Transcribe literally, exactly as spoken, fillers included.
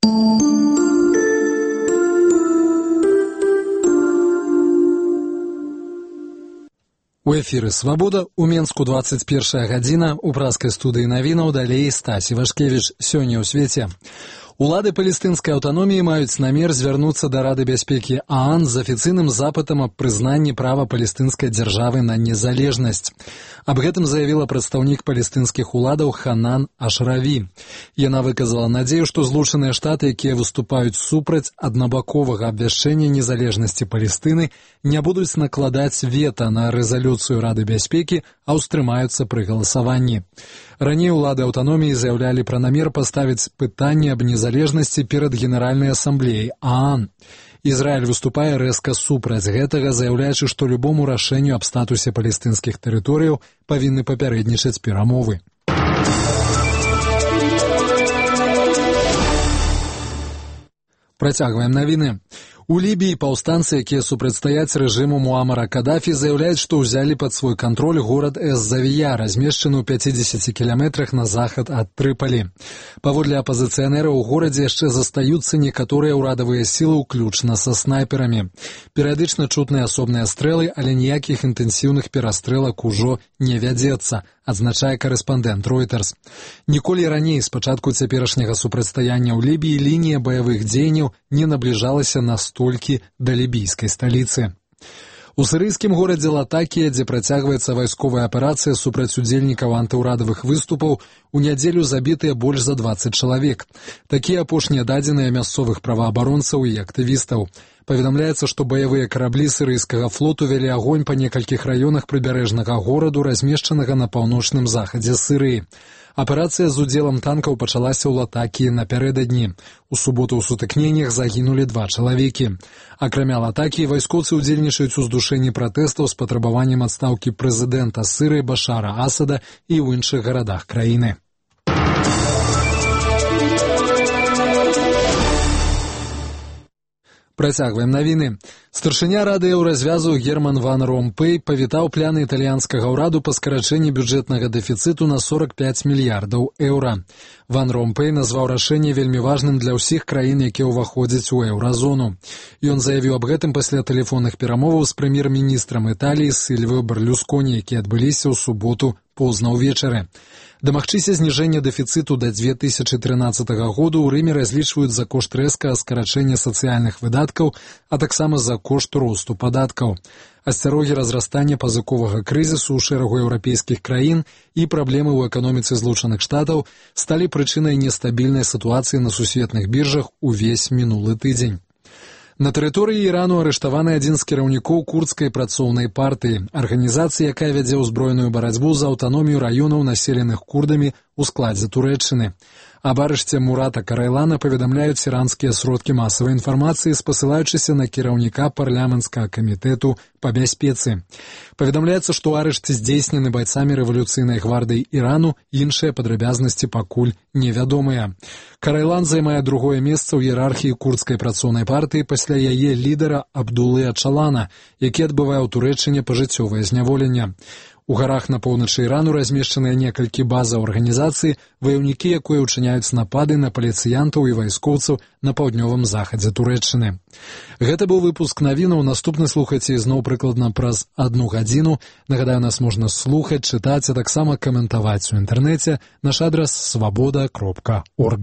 У эфіры «Свабода», у Менску двадцать першая гадзіна, у праскай студыі навінаў далей Стасі Вашкевіч. Сёння ў свеце. Улады палестынскай аўтаноміі маюць намер звярнуцца да Рады бяспекі ААН з афіцыйным запытам аб прызнанні права палестынскай дзяржавы на незалежнасць. Аб гэтым заявіла прадстаўнік палестынскіх уладаў Ханан Ашраві. Яна выказала надзею, што Злучаныя Штаты, якія выступаюць супраць аднабаковага абвяшчэння незалежнасці Палестыны, не будуць накладаць вета на рэзалюцыю Рады бяспекі, а ўстрымаюцца пры галасаванні. Раней улады аўтаноміі заяўлялі пра намер паставіць пытанне аб незалежнасці перад Генеральнай асамблеяй ААН. Ізраіль выступае рэзка супраць гэтага, заяўляючы, што любому рашэнню аб статусе палестынскіх тэрыторыяў павінны папярэднічаць перамовы. Працягваем навіны. У Лібіі паўстанцы, якія супрацьстаяць рэжыму Муамара Кадафі, заяўляюць, што ўзялі пад свой кантроль горад Эз-Завія, размешчаны ў пяцідзесяці кіламетрах на захад ад Трыпалі. Паводле апазіцыянераў у горадзе яшчэ застаюцца некаторыя ўрадавыя сілы, уключна са снайперамі. Перыядычна чутныя асобныя стрэлы, але ніякіх інтэнсіўных перастрэлак ужо не вядзецца, адзначае корэспандэнт Reuters. Ніколі раней, з пачатку цяперашняга супрацьстаяння ў Лібіі, лінія баявых дзеянняў не набліжалася настолькі да лібійскай сталіцы. У сірыйскім горадзе Латакія, дзе працягваецца вайсковая аперацыя супраць удзельнікаў антыўрадавых выступаў, у нядзелю забітыя больш за дваццаць чалавек. Такія апошнія дадзеныя мясцовых праваабаронцаў і актывістаў. Паведамляецца, што баявыя караблі сірыйскага флоту вялі агонь па некалькіх раёнах прыбярэжнага гораду, размешчанага на паўночным захадзе Сірыі. Аперацыя з удзелам танкаў пачалася ў Латакіі напярэдадні. У суботу ў сутыкненнях загінулі два чалавекі. Акрамя Латакіі, вайскоўцы ўдзельнічаюць у здушэнні пратэстаў з патрабаваннем адстаўкі прэзідэнта Сірыі Башара Асада і ў іншых гарадах краіны. Працягваем навіны. Старшыня Рады еўразвязу Герман ван Ромпэй павітаў пляны італьянскага ўраду па скарачэнні бюджэтнага дэфіцыту на сорок пяць мільярдаў еўра. Ван Ромпэй назваў рашэнне вельмі важным для ўсіх краін, якія ўваходзяць у еўразону. Ён заявіў аб гэтым пасля тэлефонных перамоваў з прэм'ер-міністрам Італіі Сільвіо Берлюсконі, якія адбыліся ў суботу позна ўвечары. Дамагчыся зніжэння дэфіцыту да дзве тысячы трынаццатага году ў Рыме разлічваюць за кошт рэзкага скарачэння сацыяльных выдаткаў, а таксама за кошт росту падаткаў. Асцярогі разрастання пазыковага крызісу ў шэрагу еўрапейскіх краін і праблемы ў эканоміцы Злучаных Штатаў сталі прычынай нестабільнай сітуацыі на сусветных біржах увесь мінулы тыдзень. На тэрыторыі Ірану арыштаваны адзін з кіраўнікоў курдскай працоўнай партыі, арганізацыі, якая вядзе ўзброеную барацьбу за аўтаномію раёнаў, населеных курдамі ў складзе Турэччыны. Аб арышце Мурата Карайлана паведамляюць іранскія сродкі масавай інфармацыі, спасылаючыся на кіраўніка парламенцкага камітэту па бяспецы. Паведамляецца, што арышт здзейснены байцамі рэвалюцыйнай гвардыі Ірану, іншыя падрабязнасці пакуль невядомыя. Карайлан займае другое месца ў іерархіі курдскай працоўнай партыі пасля яе лідара Абдулы Ачалана, які адбывае ў Турэччыне пажыццёвае зняволенне. У гарах на поўначы Ірану размешчаныя некалькі базаў арганізацыі, ваяўнікі якой учыняюць напады на паліцыянтаў і вайскоўцаў на паўднёвым захадзе Турэччыны. Гэта быў выпуск навінаў, наступны слухайце ізноў прыкладна праз адну гадзіну. Нагадаю, нас можна слухаць, чытаць, а таксама каментаваць у інтэрнэце. Наш адрас свабода кропка орг.